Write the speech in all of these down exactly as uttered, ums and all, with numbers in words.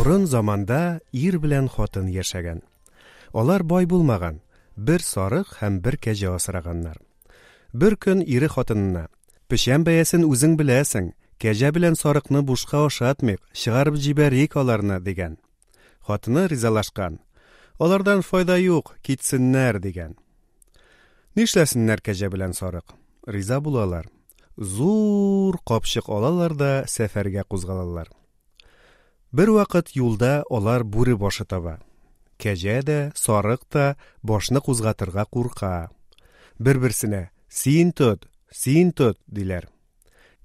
Борын заманда ир белән хатын яшәгән. Алар бай булмаган, бер сарык һәм бер кәҗә асраганнар. Бер көн ире хатынына: "Печән бәясен үзең беләсең, кәҗә белән сарыкны бушка ашатмыйк, чыгарып җибәрик аларны", дигән. Хатыны ризалашкан. "Алардан файда юк, китсеннәр", дигән. Нишләсеннәр кәҗә белән сарык? Риза булалар. Зур капчык алалар да сәфәргә кузгалалар. Бер вакыт юлда алар бүре башы таба. Кәҗә дә, сарык та башны кузгатырга курка. Бер-берсенә: "Син тот, син тот", диләр.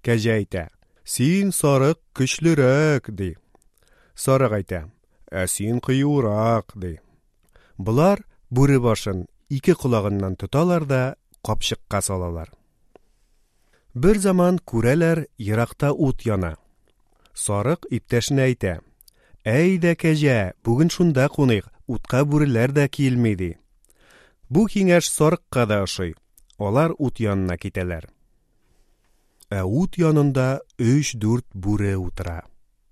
Кәҗә әйтә: "Син, сарык, көчлерәк", ди. Сарык әйтә: "Ә син кыюрак", ди. Болар бүре башын ике колагыннан тоталар да капчыкка салалар. Бер заман күрәләр, еракта ут яна. Сарык иптәшенә әйтә: "Әйдә, кәҗә, бүген шунда куныйк, утка бүреләр дә килми", ди. Бу киңәш сарыкка да ошый. Алар ут янына китәләр. Ә ут янында өч-дүрт бүре утыра.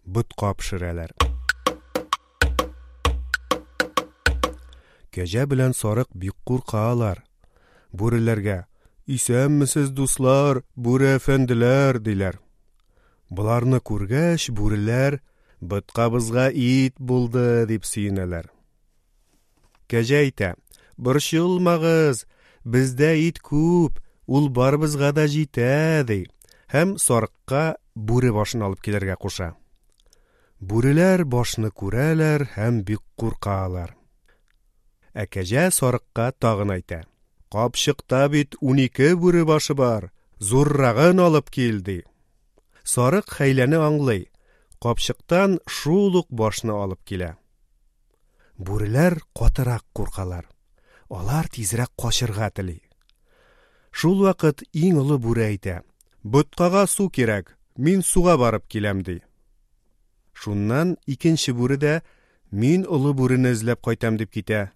Ботка пешерәләр. Кәҗә белән сарык бик куркалар. Бүреләргә: "Исәнмесез, дуслар, бүре әфәнделәр", диләр. Боларны күргәч, бүреләр: "Боткабызга ит булды", дип сөенәләр. Кәҗә әйтә: "Борчылмагыз, бездә ит күп, ул барыбызга да җитә", ди. Һәм сарыкка бүре башын алып килергә куша. Бүреләр башны күрәләр һәм бик куркалар. Ә кәҗә сарыкка тагын әйтә: "Капчыкта бит унике бүре башы бар, зуррагын алып кил", ди. Сарык хәйләне аңлый, капчыктан шул ук башны алып килә. Бүреләр катырак куркалар. Алар тизрәк качырга тели. Шул вакыт иң олы бүре әйтә: "Боткага су кирәк, мин суга барып киләм", ди. Шуннан икенче бүре дә: "Мин олы бүрене эзләп кайтам", дип китә.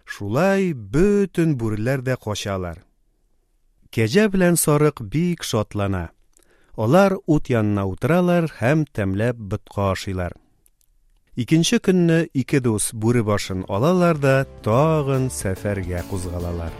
Шулай бөтен бүреләр дә качалар. Кәҗә белән сарык бик шатлана. Алар ут янына утыралар һәм тәмләп ботка ашыйлар. Икенче көнне ике дус бүре башын алалар да тагын сәфәргә кузгалалар.